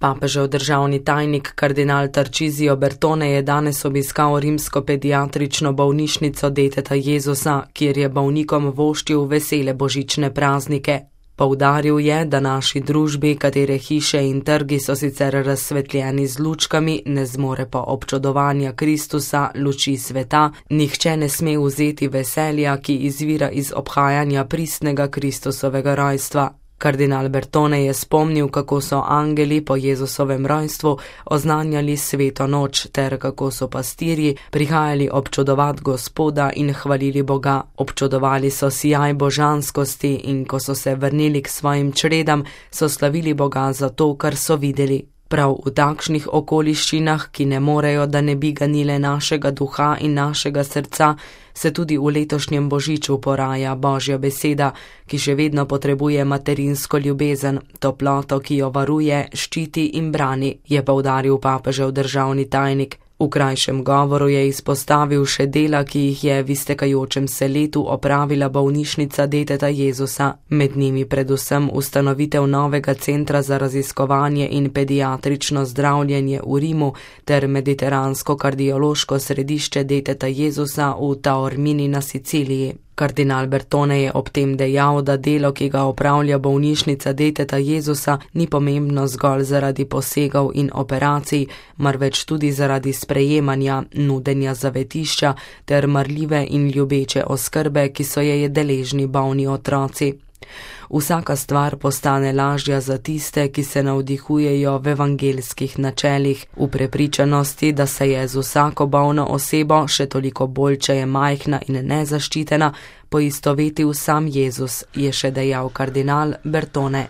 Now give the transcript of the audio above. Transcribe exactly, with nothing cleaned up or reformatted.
Papežev državni tajnik kardinal Tarcisio Bertone je danes obiskal rimsko pediatrično bolnišnico Deteta Jezusa, kjer je bolnikom voščil vesele božične praznike. Poudaril je, da naši družbi, katere hiše in trgi so sicer razsvetljeni z lučkami, ne zmore pa občudovanja Kristusa, luči sveta, nihče ne sme vzeti veselja, ki izvira iz obhajanja pristnega Kristusovega rojstva. Kardinal Bertone je spomnil, kako so angeli po Jezusovem rojstvu oznanjali sveto noč ter kako so pastirji prihajali občudovat Gospoda in hvalili Boga. Občudovali so sijaj božanskosti in ko so se vrnili k svojim čredam, so slavili Boga za to, kar so videli. Prav v takšnih okoliščinah, ki ne morejo, da ne bi ganile našega duha in našega srca, se tudi v letošnjem božiču poraja Božja beseda, ki še vedno potrebuje materinsko ljubezen, toploto, ki jo varuje, ščiti in brani, je poudaril papežev državni tajnik. V krajšem govoru je izpostavil še dela, ki jih je v iztekajočem se letu opravila bolnišnica Deteta Jezusa, med njimi predvsem ustanovitev novega centra za raziskovanje in pediatrično zdravljenje v Rimu ter mediteransko kardiološko središče Deteta Jezusa v Taormini na Siciliji. Kardinal Bertone je ob tem dejal, da delo, ki ga opravlja bolnišnica Deteta Jezusa, ni pomembno zgolj zaradi posegov in operacij, marveč tudi zaradi sprejemanja, nudenja zavetišča ter marljive in ljubeče oskrbe, ki so je deležni bolni otroci. Vsaka stvar postane lažja za tiste, ki se navdihujejo v evangelskih načelih, v prepričanosti, da se je z vsako bolno osebo, še toliko bolj, če je majhna in nezaščitena, poistovetil sam Jezus, je še dejal kardinal Bertone.